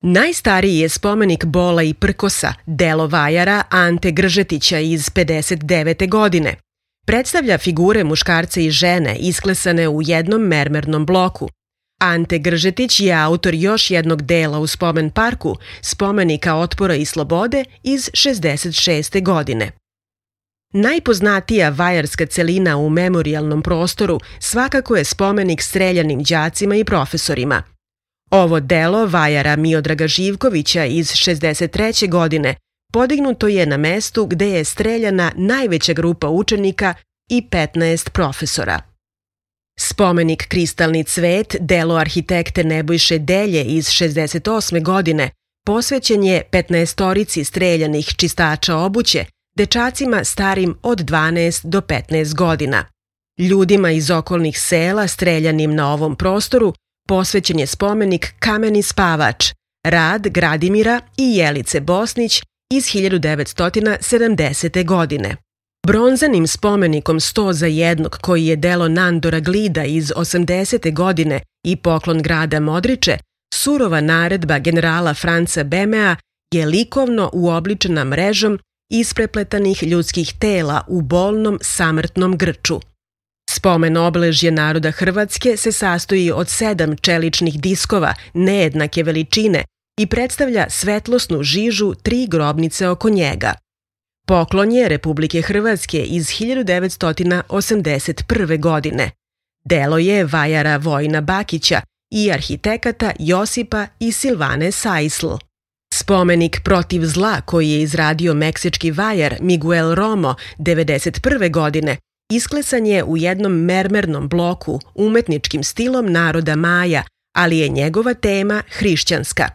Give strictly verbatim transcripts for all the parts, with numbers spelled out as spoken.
Najstariji je spomenik Bola i prkosa, delo vajara Ante Gržetića iz pedeset devete godine. Predstavlja figure muškarca i žene isklesane u jednom mermernom bloku. Ante Gržetić je autor još jednog dela u spomen parku, spomenika otpora i slobode iz šezdeset šeste godine. Najpoznatija vajarska celina u memorijalnom prostoru svakako je spomenik streljanim đacima i profesorima. Ovo delo vajara Miodraga Živkovića iz šezdeset treće godine podignuto je na mestu gde je streljana najveća grupa učenika i petnaest profesora. Spomenik Kristalni cvet, delo arhitekte Nebojše Delje iz šezdeset osme godine, posvećen je petnaestorici streljanih čistača obuće, dečacima starim od dvanaest do petnaest godina. Ljudima iz okolnih sela streljanim na ovom prostoru posvećen je spomenik Kameni spavač, rad Gradimira i Jelice Bosnić iz hiljadu devetsto sedamdesete godine. Bronzanim spomenikom sto za jednog, koji je delo Nandora Glida iz osamdesete godine i poklon grada Modriče, surova naredba generala Franca Bemea je likovno uobličena mrežom isprepletanih ljudskih tela u bolnom samrtnom grču. Spomen obeležje naroda Hrvatske se sastoji od sedam čeličnih diskova nejednake veličine i predstavlja svetlosnu žižu tri grobnice oko njega. Poklon je Republike Hrvatske iz hiljadu devetsto osamdeset prve godine. Delo je vajara Vojina Bakića i arhitekata Josipa i Silvane Sajsl. Spomenik Protiv zla, koji je izradio meksički vajar Miguel Romo devedeset prve godine, isklesan je u jednom mermernom bloku umetničkim stilom naroda Maja, ali je njegova tema hrišćanska.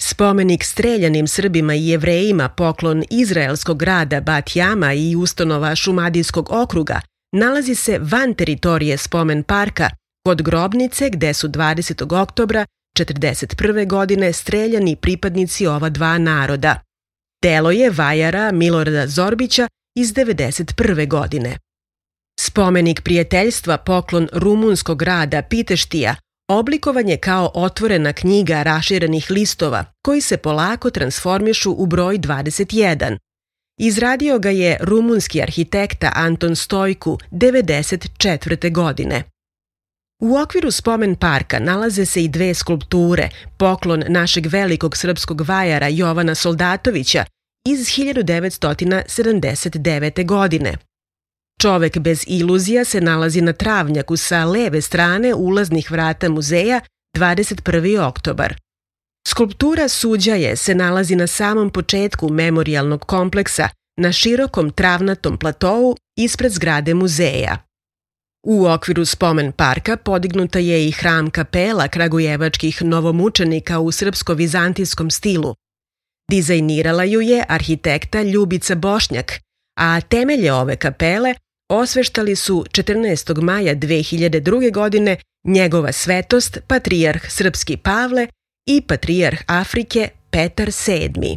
Spomenik streljanim Srbima i Jevrejima, poklon izraelskog grada Bat Jama i ustanova Šumadijskog okruga, nalazi se van teritorije spomen parka, kod grobnice gde su dvadesetog oktobra četrdeset prve godine streljani pripadnici ova dva naroda. Delo je vajara Milorada Zorbića iz devedeset prve godine. Spomenik prijateljstva, poklon rumunskog grada Piteštija, oblikovan je kao otvorena knjiga raširenih listova koji se polako transformišu u broj dvadeset jedan. Izradio ga je rumunski arhitekta Anton Stojku devedeset četvrte godine. U okviru spomen parka nalaze se i dve skulpture, poklon našeg velikog srpskog vajara Jovana Soldatovića iz hiljadu devetsto sedamdeset devete godine. Čovek bez iluzija se nalazi na travnjaku sa leve strane ulaznih vrata muzeja dvadeset prvi oktobar. Skulptura Suđaje se nalazi na samom početku memorijalnog kompleksa na širokom travnatom platou ispred zgrade muzeja. U okviru spomen parka podignuta je i hram kapela kragujevačkih novomučenika u srpsko-vizantijskom stilu. Dizajnirala ju je arhitekta Ljubica Bošnjak, a temelje ove kapele osveštali su četrnaestog maja dve hiljade druge. godine njegova svetost, patrijarh srpski Pavle i patrijarh Afrike Petar sedmi.